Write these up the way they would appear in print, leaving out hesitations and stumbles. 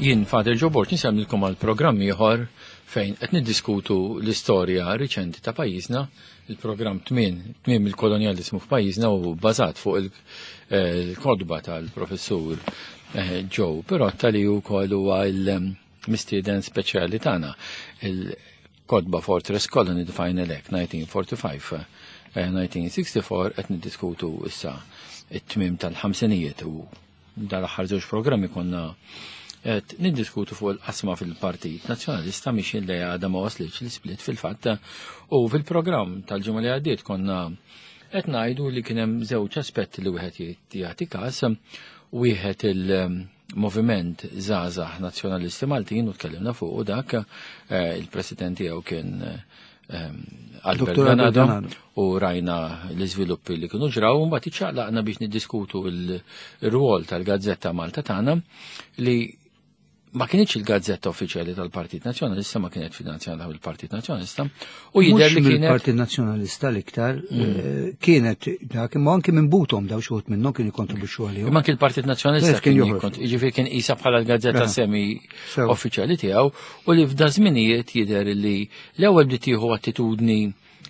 Jien Father Joe Borg nisemmilkom għal programm ieħor fejn qed niddiskutu l-istorja riċenti ta' pajjiżna, il-programm tmien tmiem il-kolonjaliżmu f'pajjiżna u bbażat fuq il-kotba tal-professur eh, Joe Pirotta li wkoll huwa l-mistieden speċjali tagħna. Il-kotba Fortress Colony The Final Act 1945 1964 eh, qed niddiskutu issa it-tmiem tal-ħamsinijiet u dal-aħħar żewġ programmi konna qed niddiskutu fuq il-qasma fil-Partit Nazzjonalista miex li għadha ma waslitx l-split fil-fatt u fil-programm tal-ġimgħa li għaddiet konna qed ngħidu li kien hemm żewġ aspetti li wieħed jagħti każ wieħed il-moviment żgħażagħ nazzjonalisti Maltin u tkellimna fuq u dak eh, il-president tiegħu kien Ehm, Albert Ganado u rajna l-iżviluppi li kienu ġraw u mbagħad iċċaqlaqna biex niddiskutu l-rwol tal-Gazzetta Malta tagħna li ma kienx il-gazzetta uffiċjali tal-Partit Nazzjonalista, ma kienet finanzjata mill-Partit Nazzjonalista, u jidher li kienet. Il-Partit Nazzjonalista l-iktar mm. eh, kienet dak imma anki minn butom daw xi minnhom kienu jikkontribwixxu għalihom. Imma anki l-Partit Nazzjonalista kien jiġifieri kien qisha bħala l-gazzetta semi uffiċjali tiegħu u li f'da żminijiet jidher li l-ewwel bdiet tieħu attitudni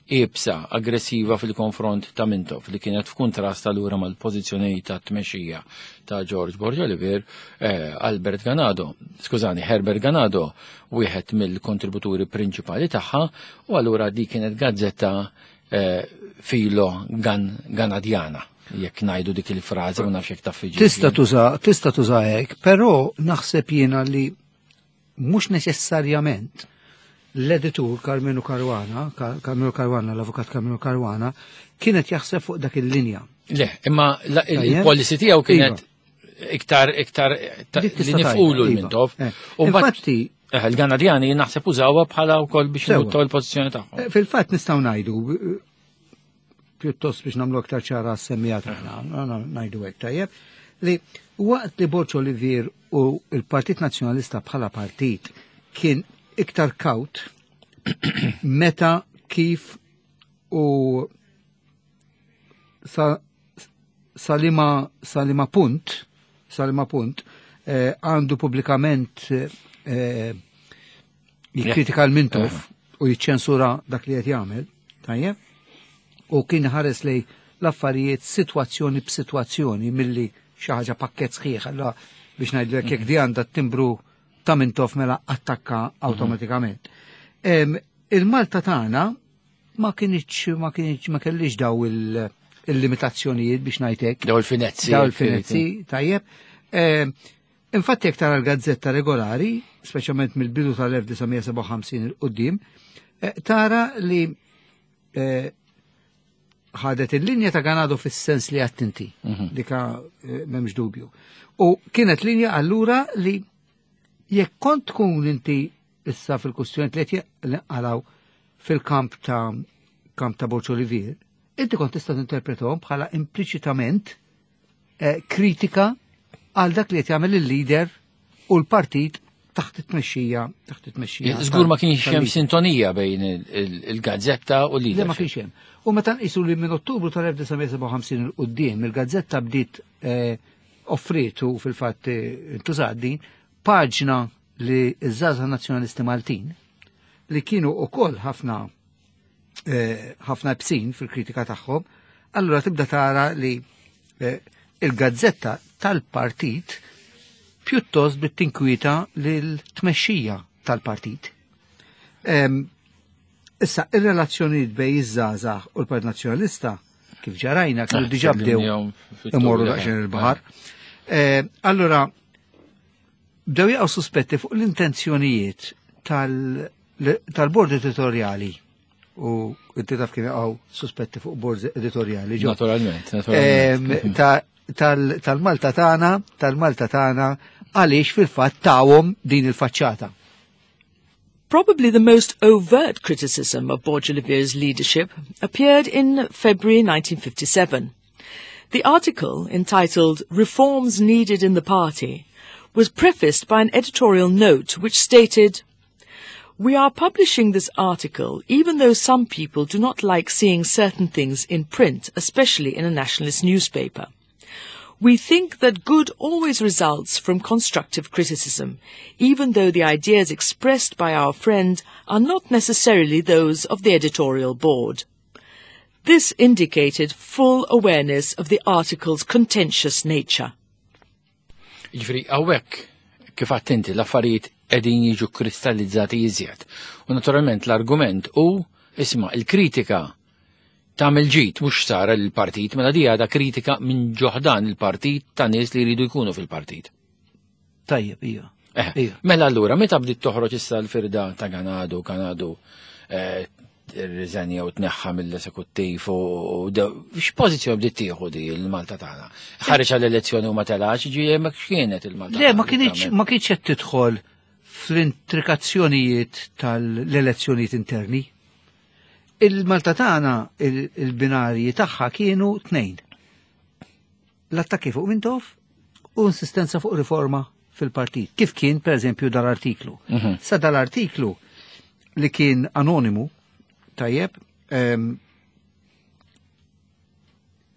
iebsa, aggressiva fil-konfront ta' Mintoff li kienet f'kuntrast allura mal-pożizzjoni ta' tmexxija ta' George Borg Olivier, eh, Albert Ganado, skużani, Herbert Ganado, wieħed mill-kontributuri prinċipali tagħha, u allura di kienet gazzetta eh, filo gan Ganadjana jekk ngħidu dik il-frażi ma nafx jekk taf Tista' tuża tista' tuża hekk, però naħseb jiena li mhux neċessarjament l-editur Carmenu Caruana, Carmenu Caruana, l-avukat Carmenu Caruana, kienet jaħseb fuq dak il-linja. Le, imma il-policy tiegħu kienet iva. iktar iktar li nifqulu l-Mintoff. Eh. U Infatti, eh, il-Ganadjani naħseb użawha bħala wkoll biex jibuttaw il-pożizzjoni tagħhom. Eh, fil-fatt nistgħu ngħidu pjuttost biex nagħmlu aktar ċara s-semmija tagħna, ngħidu hekk tajjeb, li waqt li Borġ Olivier u l-Partit Nazzjonalista bħala partit kien iktar kaut meta kif u sa salima salima punt salima punt eh, għandu pubblikament eh, jikkritika l-Mintoff u jiċċensura dak li qed jagħmel, tajjeb? U kien ħares lej l-affarijiet sitwazzjoni b'sitwazzjoni milli xi ħaġa pakkett sħiħ allura biex ngħidlek jekk di għandha timbru ta' Mintoff mela attakka mhm. awtomatikament. Il-Malta tagħna ma kienx ma kienx ma kellix daw il-limitazzjonijiet biex ngħidlek. Daw il-finezzi. Daw il-finezzi, tajjeb. Infatti jekk tara l-gazzetta regolari, speċjalment mill-bidu tal-1957 il qudiem eh, tara li eh, ħadet il-linja ta' Ganado fis-sens li għattinti, mhm. dika eh, m'hemmx dubju. U kienet linja allura li jekk kont tkun inti issa fil-kustjoni li qed għalaw fil-kamp ta' kamp ta' Borċ Olivier, inti kont tista' tinterpretahom bħala impliċitament eh, kritika għal dak li qed jagħmel il-leader u l-partit taħt it-tmexxija taħt it-tmexxija. Żgur ma kienx hemm sintonija bejn il-gazzetta u l-leader. Ma kienx hemm. U meta nqisu li minn Ottubru tal-1957 il quddiem il-gazzetta bdiet eh, offritu fil-fatt eh, intużat din paġna li ż-żgħażagħ nazzjonalisti Maltin li kienu ukoll ħafna eh, ħafna bsin fil-kritika tagħhom, allura tibda tara li eh, il-gazzetta tal-partit pjuttost bit-tinkwieta lil-tmexxija tal-partit. Issa, ir-relazzjonijiet bej iż-żgħażagħ u l-Partit Nazzjonalista kif ġarajna kienu diġà bdew imorru daqsxejn il-baħar. Eh, allura, bdew jaqgħu suspetti fuq l-intenzjonijiet tal-bord editorjali u inti taf kif jaqgħu suspetti fuq bord editorjali. Naturalment, naturalment. Tal-Malta tagħna, tal-Malta tagħna għaliex fil-fatt tawhom din il-faċċata. Probably the most overt criticism of Borg Olivier's leadership appeared in February 1957. The article, entitled Reforms Needed in the Party, was prefaced by an editorial note which stated, We are publishing this article even though some people do not like seeing certain things in print, especially in a nationalist newspaper. We think that good always results from constructive criticism, even though the ideas expressed by our friend are not necessarily those of the editorial board. This indicated full awareness of the article's contentious nature. Ġifri, għawek, kif attenti, l-affarijiet edin jiġu kristallizzati iżjed. U naturalment l-argument u, isma, il-kritika tagħmel ġid mhux sara lill-partit, mela di għadha kritika minn ġoħdan il-partit ta' nies li jridu jkunu fil-partit. Tajjeb, ija. Eh, mela allura, meta bdiet toħroġ issa l-firda ta' Ganadu, Ganadu eh, riżenja u tneħħa mill-esekuttiv u x'pożizzjoni bdiet tieħu di l-Malta tagħna? Ħareġ għall-elezzjoni u ma telax, ġi hemmhekk x'kienet il-Malta. Le, ma kienx ma kienx qed tidħol fl-intrikazzjonijiet tal-elezzjonijiet interni. Il-Malta tagħna il-binarji tagħha kienu tnejn. L-attakki fuq Mintoff u insistenza fuq riforma fil-partit. Kif kien, per eżempju, dal-artiklu. Mhm. Sa dal-artiklu li kien anonimu, tajjeb, eh,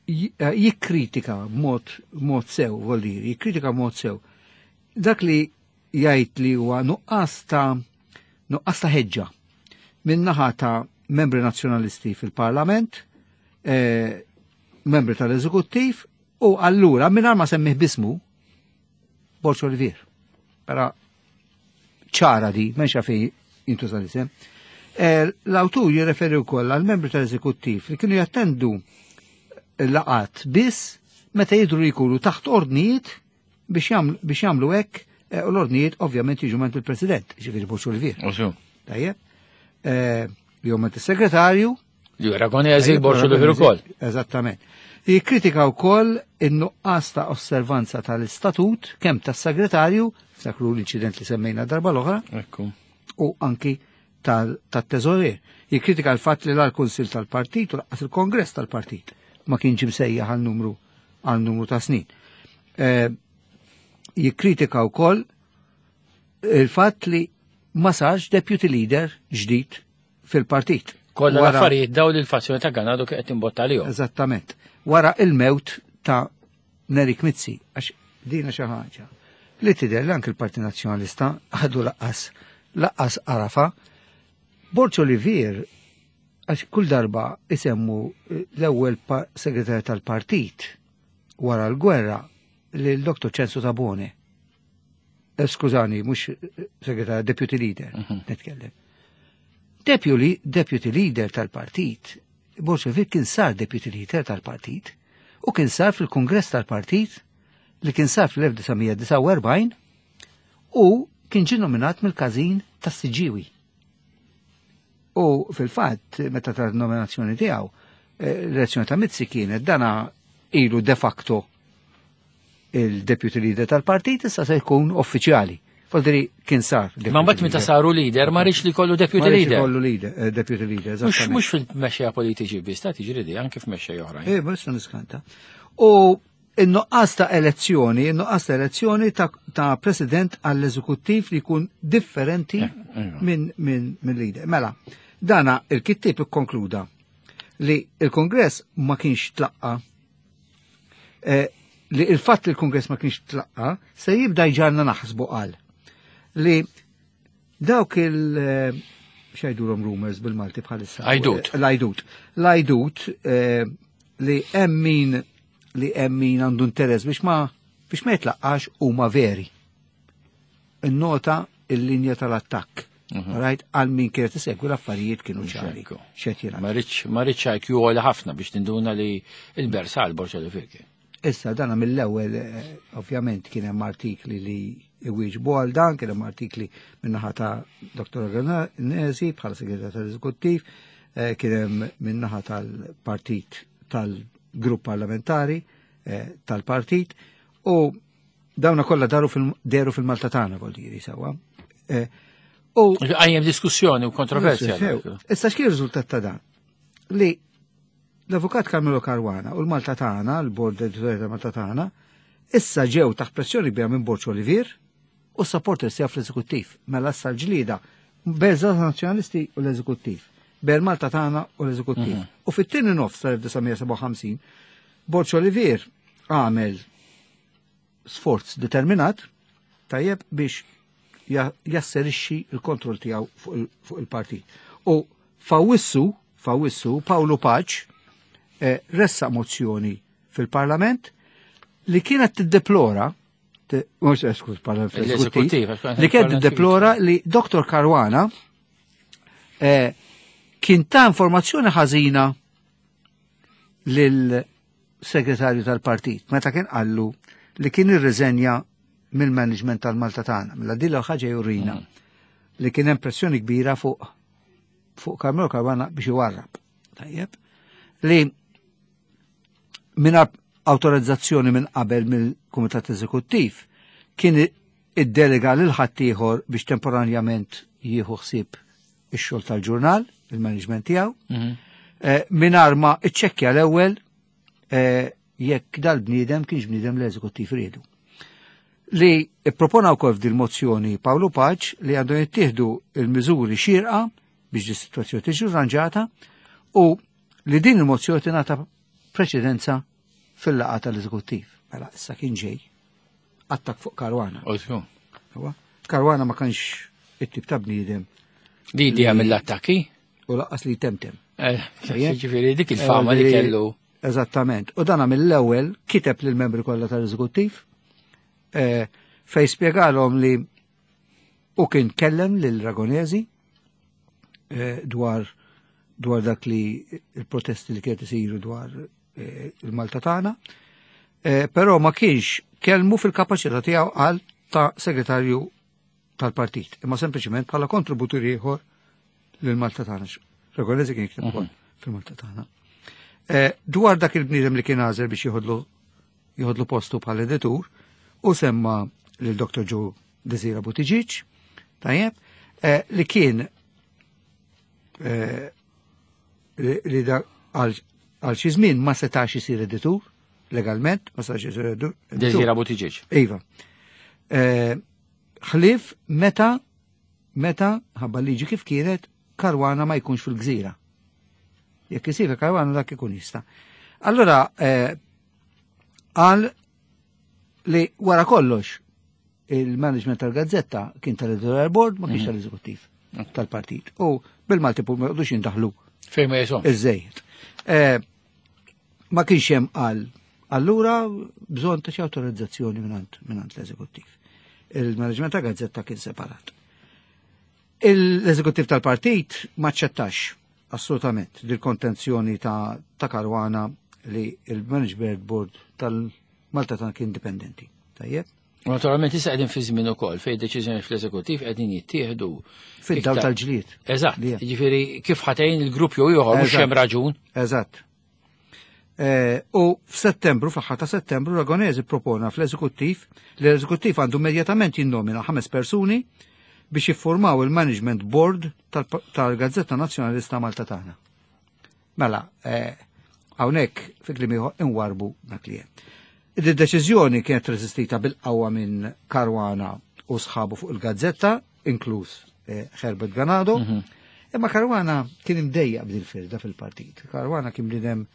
jikkritika mod sew, vuol dire, jikkritika mod sew. Dak li jgħid li huwa nuqqas ta' nuqqas ta' ħeġġa min-naħa ta' membri nazzjonalisti fil-Parlament, eh, membri tal-Eżekuttiv u allura mingħajr ma semmih bismu Borg Olivier. Però ċara di, m'hemmx fejn jintuża l-isem. Eh, l-awtur jirreferi wkoll għal membri tal-eżekuttiv li kienu jattendu laqat biss meta jidru li jkunu taħt ordnijiet biex jagħmlu hekk eh, u l-ordnijiet ovvjament jiġu ment il-President, ġifieri Borg Olivier. Tajjeb. Eh, jew ment is-segretarju. Li Aragonesi Borg Olivier ukoll. Eżattament. Jikkritika wkoll in-nuqqas ta' osservanza tal-istatut kemm tas-segretarju, ftakru l-inċident li semmejna darba l-oħra, u anki tat-teżorier. Jikkritika l-fatt li l-Kunsil tal-Partit u laqqas il-Kongress tal-Partit ma kienx imsejjaħ għal numru għal numru ta' snin. Eh, jikkritika wkoll il-fatt li ma sarx deputy leader ġdid fil-partit. Kollha l-affarijiet daw li l-fazzjoni ta' Ganado kienet timbotta għalihom. Eżattament. Wara il-mewt ta' Nerik Mizzi, għax dina xi ħaġa li tidher li anke l-Partit Nazzjonalista għadu laqqas laqqas arafa. Borg Olivier għax kull darba isemmu l-ewwel segretarju tal-partit wara l-gwerra lil Dr. Ċensu Tabone. Eh, skużani, mhux segretarju, deputy leader, mhm. nitkellem. Deputy, deputy leader tal-partit, Borg Olivier kien sar deputy leader tal-partit u kien sar fil-kongress tal-partit li kien sar fl-1949 u kien ġie nominat mill-każin tas-Siġġiewi. U fil-fatt, meta ta' nominazzjoni tiegħu, eh, l-elezzjoni ta' Mizzi kienet dana ilu de facto il-deputy leader tal-partit issa se jkun uffiċjali. Voldiri kien sar. Ma mbagħad meta saru leader ma rridx li kollu deputy leader. Kollu leader, eh, deputy leader. Mhux fil-mexxejja politiċi biss, ta' tiġri di anke f'mexxejja oħrajn. Eh, ma niskanta. U in-nuqqas ta' elezzjoni, in-nuqqas ta' elezzjoni ta', ta president għall-eżekuttiv li jkun differenti eh, eh. minn min, min leader. Mela, dana il-kittib ikkonkluda li il-Kongress ma kienx tlaqqa eh, li il-fatt li l-Kongress ma kienx tlaqqa se jibda jġarna naħsbu qal li dawk il- eh, xajdulhom rumors bil-Malti bħalissa. Ajdut. Eh, l-ajdut. L-ajdut li hemm min li hemm min għandu interess biex ma biex ma jitlaqqax huma veri. Innota il-linja tal-attakk. Mhm. Right, għal min kienet isegwi l-affarijiet kienu ċari. Xed Ma rridx IQ għoli ħafna biex tinduna li il-bersal borċa li firki. Issa dana mill-ewwel eh, ovvjament kien hemm artikli li iwieġbu għal dan, kien hemm artikli min-naħa ta' Dr. Organesi bħala segretarju tal-Eżekuttiv, eh, kien hemm min-naħa tal-partit tal-grupp parlamentari eh, tal-partit u dawna kollha daru fil-deru fil-Malta tagħna vol diri sewwa. U għajjem diskussjoni u kontroversja. Issa x'kien riżultat ta' dan? Li L-Avukat Carmelo Caruana u l-Malta Tagħna, l-Bord Editorjali ta' Malta Tagħna, issa ġew taħt pressjoni kbira minn Borg Olivier u s-supporters tiegħu fl-Eżekuttiv. Mela issa l-ġlieda bejn żgħażagħ Nazzjonalisti u l-Eżekuttiv, bejn Malta Tagħna u l-Eżekuttiv. Mhm. U fit-tieni nofs tal-1957, Borg Olivier għamel sforz determinat tajjeb biex jasserixxi l-kontroll tiegħu fuq il-partit. U f'Awwissu, f'Awwissu, Pawlu Paċ eh, ressaq mozzjoni fil-Parlament li kienet tiddeplora mhux eskuż Parlament fl-Eżekuttiv, li kienet tiddeplora li Dr. Caruana eh, kien ta' informazzjoni ħażina lil segretarju tal-partit meta kien qallu li kien irriżenja mill-management tal-Malta tagħna. Mela din ħaġa jurina li kien hemm pressjoni kbira fuq fuq Carmelo Caruana biex iwarrab. Tajjeb. Li minn awtorizzazzjoni minn qabel mill-Kumitat Eżekuttiv kien iddelega lil ħaddieħor biex temporanjament jieħu ħsieb ix-xogħol tal-ġurnal, il-management tiegħu, mhm. eh, mingħajr ma iċċekkja l-ewwel eh, jekk dal-bniedem kienx bniedem l-eżekuttiv riedu. Li ippropona wkoll f'dil mozzjoni Paolo Paċ li għandhom jittieħdu il-miżuri xierqa biex di situazzjoni tiġi rranġata u li din il-mozzjoni tingħata preċedenza fil-laqgħa tal-eżekuttiv. Mela issa kien ġej attak fuq Karwana. Karwana ma kienx it-tip ta' bniedem. Li idea mill-attakki? U laqqas li temtem. Eh, ġifieri dik il-fama li kellu. Eżattament. U dana mill-ewwel kiteb lill-membri kollha tal-eżekuttiv eh, fej spjegalhom li u kien kellem lil Ragonesi eh, dwar dwar dak li il-protesti li kienet isiru dwar eh, il-Malta tagħna, però ma kienx kellmu fil-kapaċità tiegħu għal ta' segretarju tal-partit, imma sempliċement bħala kontributur ieħor lil Malta tagħna. Regolezi kien jikteb ukoll mhm. fil-Malta tagħna. Eh, dwar dak il-bniedem li kien għażel biex jieħodlu jieħodlu postu bħala editur u semma lil Dr. Joe Desira Buttigieg, tajjeb, eh, li kien eh, li da għal xi żmien ma setax isir editur legalment, ma setax isir editur. Desira Buttigieg. Iva. Ħlief meta meta ħabba liġi kif kienet Karwana ma jkunx fil-gżira. Jekk isir Karwana dak ikun jista'. Allora eh, qal li wara kollox il-management tal-gazzetta kien tal-editorial board ma kienx mhm. tal-eżekuttiv tal-partit. U bil-Malti pur ma jqogħdux jindaħlu. Fejn ma jisom. Iż-żejjed. Eh, ma kienx hemm qal allura bżonn ta' xi awtorizzazzjoni mingħand mingħand l-eżekuttiv. Il-management ta' gazzetta kien separat. L-eżekuttiv tal-partit ma ċċettax assolutament dil-kontenzjoni ta', ta Karwana li il-management board tal-Malta ta' kien indipendenti. Tajjeb? Naturalment issa qegħdin fi żmien ukoll fejn deċiżjoni fl-eżekuttiv qegħdin jittieħdu fid-dawl tal-ġlied. Eżatt, jiġifieri kif ħatejn il-grupp jew ieħor mhux hemm raġun. Eżatt. Eh, u f'Settembru, fl-aħħar ta' Settembru, Ragonesi propona fl-eżekuttiv li l-eżekuttiv għandu immedjatament jinnomina ħames persuni biex jiffurmaw il-Management Board tal-Gazzetta Nazzjonalista Malta tagħna. Mela, eh, hawnhekk fi kliem ieħor inwarbu dak li hemm. Id-deċiżjoni kienet resistita bil-qawwa minn Caruana u sħabu fuq il-gazzetta, inkluż eh, Herbert Ganado. Mhm. Imma Caruana kien imdejjaq b'dil firda fil-partit. Caruana kien bniedem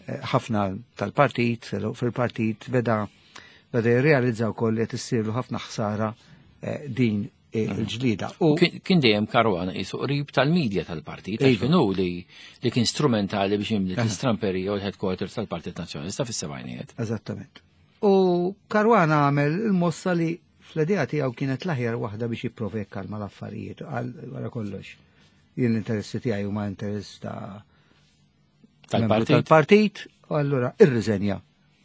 eh, ħafna tal-partit, fil-partit beda beda jirrealizza wkoll li qed issirlu ħafna ħsara din il-ġlida. U kien dejjem Caruana qisu qrib tal-medja tal-partit, għax iva. kienu li li kien strumentali biex jimli l-istramperija u l-headquarters tal-Partit Nazzjonalista fis-sebgħinijiet. Eżattament. U Caruana għamel il-mossa li fl-idea tiegħu kienet l-aħjar waħda biex jipprova jikkalma l-affarijiet għal wara kollox. Jien l-interessi tiegħi huma interess ta' tal-partit. Tal-partit, u allura irriżenja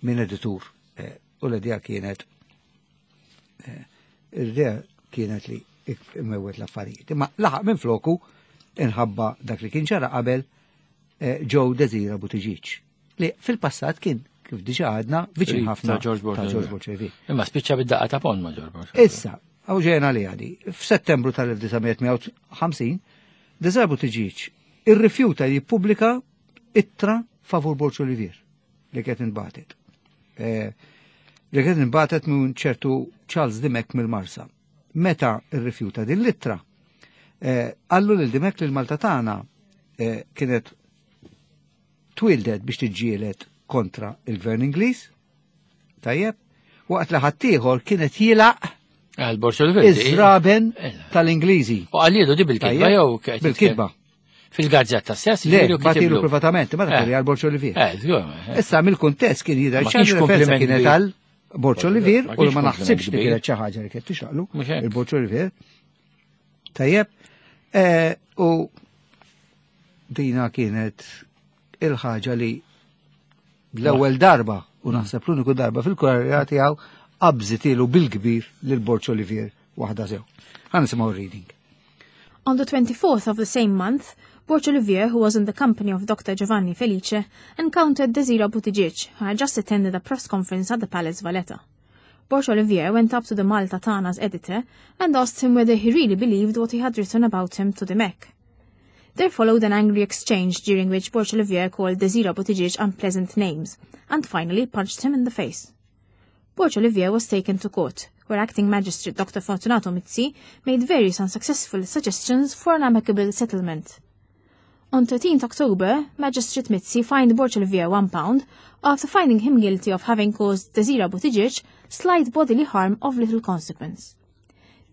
minn editur. Eh, u l-idea kienet eh, l-idea kienet li imewet l-affarijiet. Imma laħaq minn floku inħabba dak li kien ġara qabel eh, Joe Desira Buttigieg li fil-passat kien kif diġa għadna viċin ħafna ta' George Borg. Imma spiċċa bid-daqqa ta' pon ma' George Borg. Issa, għaw ġejna li għadi, f'Settembru tal-1958, Desira Buttigieg irrifjuta li jippubblika ittra favur Borg Olivier li kienet inbatet. Eh, li kienet inbatet minn ċertu Charles Dimek mill-Marsa. Meta irrifjuta din l-ittra, eh, għallu lil Dimek li l-Malta tagħna eh, kienet twildet biex tiġġieled kontra il-Gvern Ingliż, tajjeb, Waqt li ħaddieħor kienet jilaq Għal Borg Olivier. iż-żraben tal-Ingliżi. U għallielu di bil-kitba jew Bil-kitba. Fil-gazzetta stess? Le, bagħtilu privatament, ma dak għal Borg Olivier. Żgur. Issa mill-kuntest kien jidher Ma kienx ċar referenza kompliment kienet kbir. għal Borg Olivier Ma u kienx ma naħsibx li kompliment kienet xi ħaġa li kienet tixraqlu Mhux hekk. il-Borg Olivier. Tajjeb. U dina kienet il-ħaġa li l-ewwel darba u naħseb l-uniku darba fil-karriera tiegħu qabżitilu bil-kbir lil Borg Olivier waħda sew. Ħa nisimgħu reading. On the 24th of the same month, Borg Olivier, who was in the company of Dr. Giovanni Felice, encountered Desira Buttigieg, who had just attended a press conference at the Palace Valletta. Borg Olivier went up to the Malta Tagħna's editor and asked him whether he really believed what he had written about him to the MEC. There followed an angry exchange during which Borg Olivier called Desira Buttigieg unpleasant names and finally punched him in the face. Borg Olivier was taken to court, where acting magistrate Dr. Fortunato Mizzi made various unsuccessful suggestions for an amicable settlement. On 13th October, Magistrate Mizzi fined Borg Olivier £1 after finding him guilty of having caused Desira Buttigieg slight bodily harm of little consequence.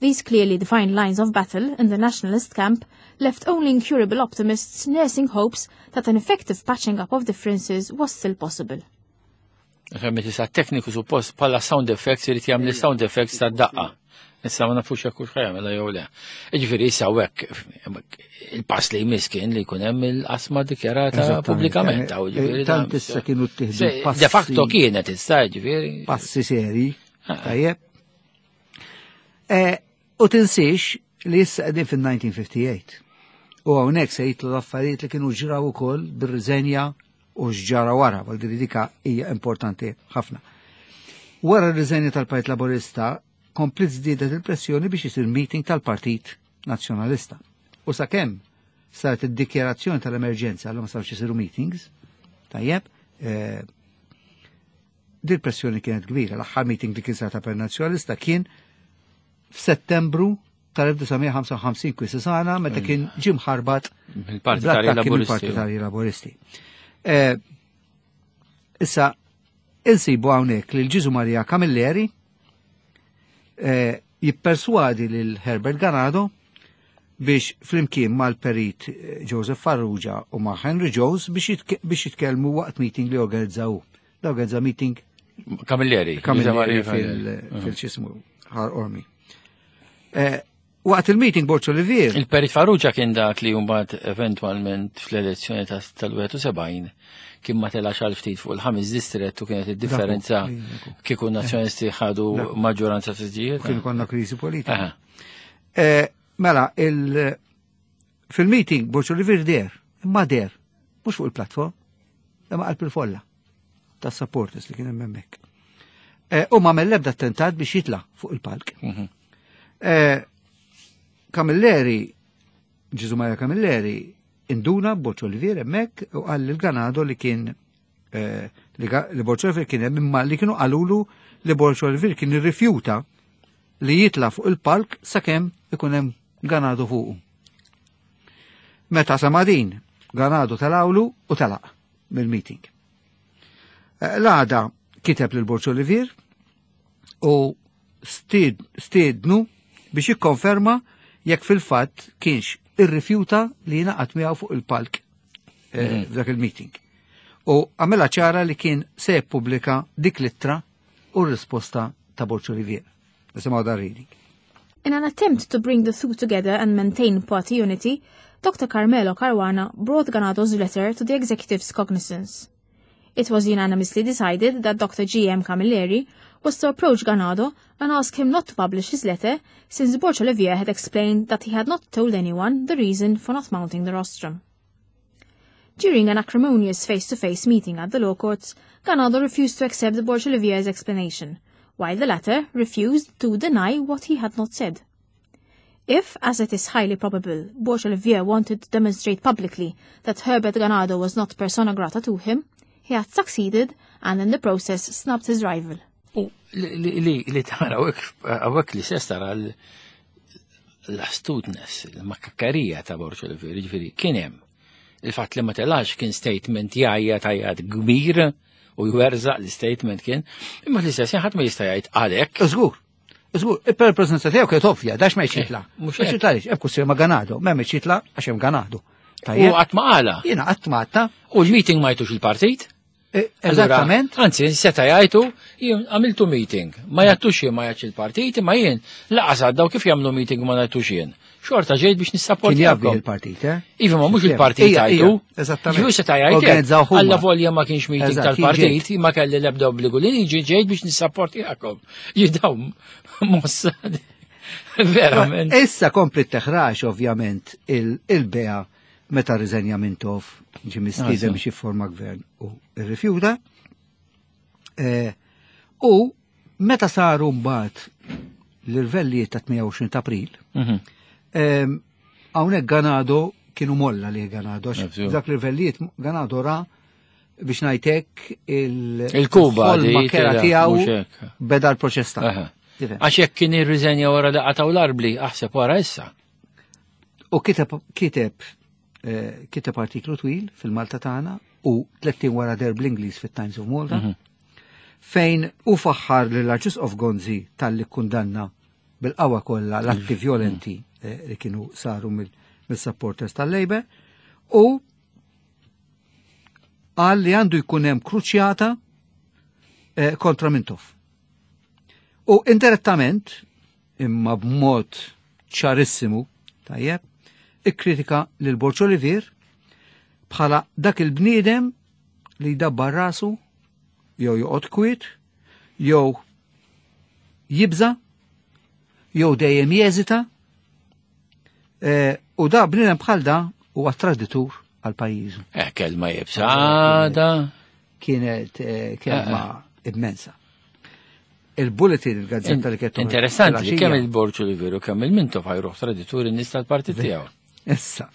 These clearly defined lines of battle in the nationalist camp left only incurable optimists nursing hopes that an effective patching up of differences was still possible. Femmet issa tekniku suppost bħala sound effects irid jagħmel sound effects tad-daqqa. Issa ma nafux jekk hux ħajamela jew le. Jiġifieri issa hekk il-pass li jmiss kien li jkun hemm il-qasma dikjarata Eżattament. pubblikament. Jiġifieri Tant issa kienu ttieħdu passi. De facto kienet issa, jiġifieri. Passi seri. Tajjeb. U tinsiex li issa qegħdin fil-1958. U hawnhekk se jitlu l-affarijiet li kienu ġraw ukoll bir-riżenja u x'ġara wara, għal din dika hija importanti ħafna. Wara r-riżenja tal-Partit Laburista komplet żdiedet il-pressjoni biex isir meeting tal-Partit Nazzjonalista. U sakemm saret id-dikjarazzjoni tal-emerġenza għal ma sarx isiru meetings, tajjeb, dil pressjoni kienet kbira. L-aħħar meeting li kien sar ta' per Nazzjonalista kien f'Settembru tal-1955 Quisisana meta kien ġie mħarbat Mill-Partitarji bl-attakki Laburisti. mill-Partitarji Laburisti. Issa, insibu hawnhekk lil Ġiżu Maria Camilleri jipperswadi lil Herbert Ganado biex flimkien mal-perit Joseph Farrugia u ma' Henry Jones biex jitkellmu waqt meeting li organizzaw. Da organizza meeting Camilleri. Camilleri Camilleri. fil-ċismu Ħal Qormi. Waqt il-meeting Borg Olivier. Il-Perit Farrugia kien dak li mbagħad eventwalment fl-elezzjoni tal-71 kien ma telax għal ftit fuq il-ħames distret u kienet id-differenza kieku nazzjonisti ħadu maġġoranza siġġijiet. Kien konna kriżi politika. Mela, fil-meeting Borg Olivier der, imma der, mhux fuq il-platform, imma qalb il-folla tas supporters li kien hemm hemmhekk. U ma l-ebda attentat biex jitla fuq il-palk. Camilleri, Ġiżu Maria Camilleri, induna Borg Olivier hemmhekk u qal lil Ganado li kien li Borg Olivier kien hemm imma li kienu qalulu li Borg Olivier kien irrifjuta li jitla fuq il-palk sakemm ikun hemm Ganado fuqu. Meta sema din, Ganado telgħulu u telaq mill-meeting. L-għada kiteb lil Borg Olivier u stiednu biex jikkonferma jekk fil-fatt kienx irrifjuta li jingħaqad miegħu fuq il-palk f'dak il-meeting. U għamela ċara li kien se jippubblika dik l-ittra u r-risposta ta' Borg Olivier. Nisimgħu dan reading. In an attempt to bring the two together and maintain party unity, Dr. Carmelo Caruana brought Ganado's letter to the executive's cognizance. It was unanimously decided that Dr. G.M. Camilleri was to approach Ganado and ask him not to publish his letter, since Borg Olivier had explained that he had not told anyone the reason for not mounting the rostrum. During an acrimonious face-to-face meeting at the law courts, Ganado refused to accept Borg Olivier's explanation, while the latter refused to deny what he had not said. If, as it is highly probable, Borg Olivier wanted to demonstrate publicly that Herbert Ganado was not persona grata to him, he had succeeded and in the process snubbed his rival. U li tara hawnhekk li se tara l-astuteness, il-makakkarija ta' Borg Olivier, ġifieri kien hemm il-fatt li ma telax kien statement jgħajja tajjat kbir. u jwerżaq l-statement kien, imma l-istess ħadd ma jista' jgħid għalhekk. Żgur. Żgur, per preżenza tiegħu kienet ovvja, dax ma jitla. Eh, mhux Ma jitla għaliex, hemm kwistjoni ma' Ganado, m'hemm jitla għax hemm Ganado. U qatt ma qala. Jiena qatt ma għadta. U l-meeting ma jtux il-partit? Eh, eżattament. Anzi, seta jgħidu, jien għamiltu meeting, ma jgħattux jien ma jgħatx il-partit, ma jien laqas għaddaw kif jagħmlu meeting ma ngħidux jien. Xorta ġejt biex nissapporti. Kien jabbi il-partit, eh? Iva ma mhux il-partit jgħidu. Eżattament. Ġifieri seta jgħidu. Alla volja ma kienx meeting tal-partit, ma kelli l-ebda obbligu li niġi ġejt biex nissapporti għakom. Jidaw mossa. Verament. Issa kompli teħrax ovvjament il-bea meta rriżenja Mintoff ġi mistieden biex jifforma gvern u rrifjuta. Eh, u meta saru mbagħad l-irvellijiet ta' 28 ta' April, mhm. hawnhekk Ganado kienu molla li Ganado, dak l-irvellijiet Ganado ra biex ngħidlek il-Kuba il-kera tiegħu beda l-proċess ta' Għax jekk kien irriżenja wara li qatgħu l-arbli, aħseb wara issa. U kiteb kiteb eh, kiteb artiklu twil fil-Malta tagħna u 30 wara der bl-Ingliż fit-Times of Malta mhm. fejn u faħħar lil Arċisqof Gonzi talli kundanna bil-qawwa kollha l-atti mhm. violenti eh, li kienu saru mill-supporters tal-Labour u qal li għandu jkun hemm kruċjata eh, kontra Mintoff. U indirettament, imma b'mod ċarissimu, tajjeb, ikkritika lil Borg Olivier bħala dak il-bniedem li jdabbar rasu jew joqgħod kwiet, jew jibża, jew dejjem jeżita, eh, u da bniedem bħal da huwa traditur għal pajjiżu. Eh, kelma jibża da. Kienet eh, kelma eh, immensa. Il-Bulletin, il-gazzetta li kienet Interessanti li kemm il-Borg Olivier u kemm il-Mintoff ħajruħ tradituri n-nies tal-partit tiegħu. Issa,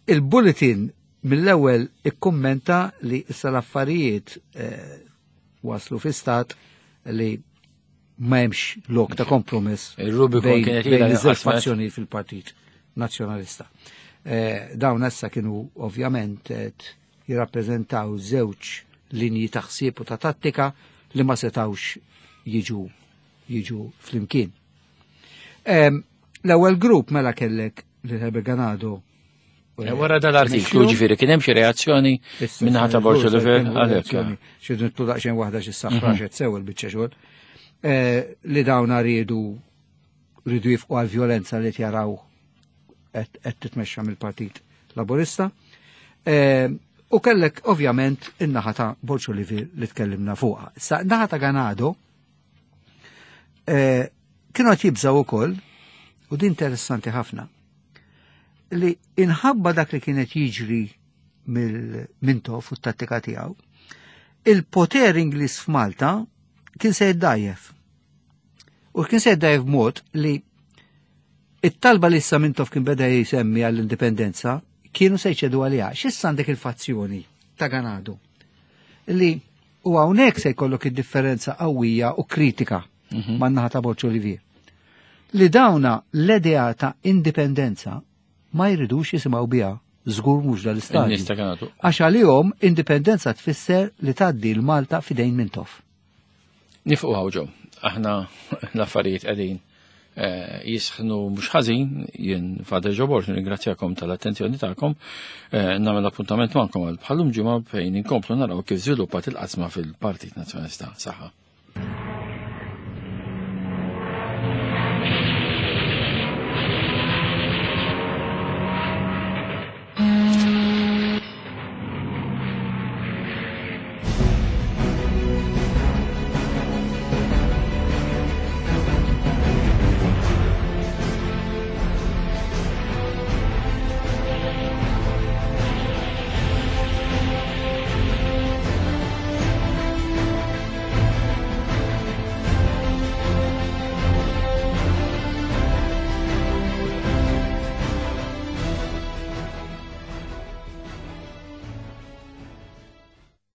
il-Bulletin mill-ewwel ikkummenta li issa l-affarijiet waslu fi stat li ma hemmx lok ta' kompromess Il-Rubicon kienet bejn iż-żewġ fazzjoni fil-Partit Nazzjonalista. Dawn issa kienu ovvjament qed jirrappreżentaw żewġ linji ta' ħsieb u ta' tattika li ma setawx jiġu jiġu flimkien. L-ewwel grupp mela kellek lil Herbert Ganado. Eh, wara dal-artiklu ġifieri kien hemm xi reazzjoni minnaħa ta' Borg Olivier għalhekk. Xi nitlu daqsxejn waħda xi saħraxet mhm. sew il-biċċa xogħol. Eh, li dawn riedu rridu jifqu għal violenza li jaraw qed titmexxa mill-Partit Laburista. Eh, u kellek ovvjament in-naħa ta' Borg Olivier li tkellimna fuqha. Sa naħa ta' Ganado kienu qed jibżgħu ukoll u din interessanti ħafna li inħabba dak li kienet jiġri mill-Mintoff u t-tattika tiegħu, il-poter Ingliż f'Malta kien se jiddajjef. U kien se jiddajjef b'mod li it-talba li issa Mintoff kien beda jisemmi għall-indipendenza kienu se jċedu għaliha. X'issa għandek il-fazzjoni ta' Ganado li u hawnhekk se jkollok id-differenza qawwija u kritika mhm. man-naħa ta' Borg Olivier. Li dawna l-idea ta' indipendenza ma jridux jisimgħu biha żgur mhux dal-istadju. Għax għalihom indipendenza tfisser li tgħaddi l-Malta fidejn Mintoff. Nifqu ħawġo, aħna l-affarijiet qegħdin eh, jisħnu mhux ħażin, jien Father Joe Borg nirringrazzjakom tal-attenzjoni tagħkom, eh, nagħmel appuntament magħkom għal bħalum ġimgħa fejn inkomplu naraw kif żviluppat il-qasma fil-Partit Nazzjonalista. Saħħa.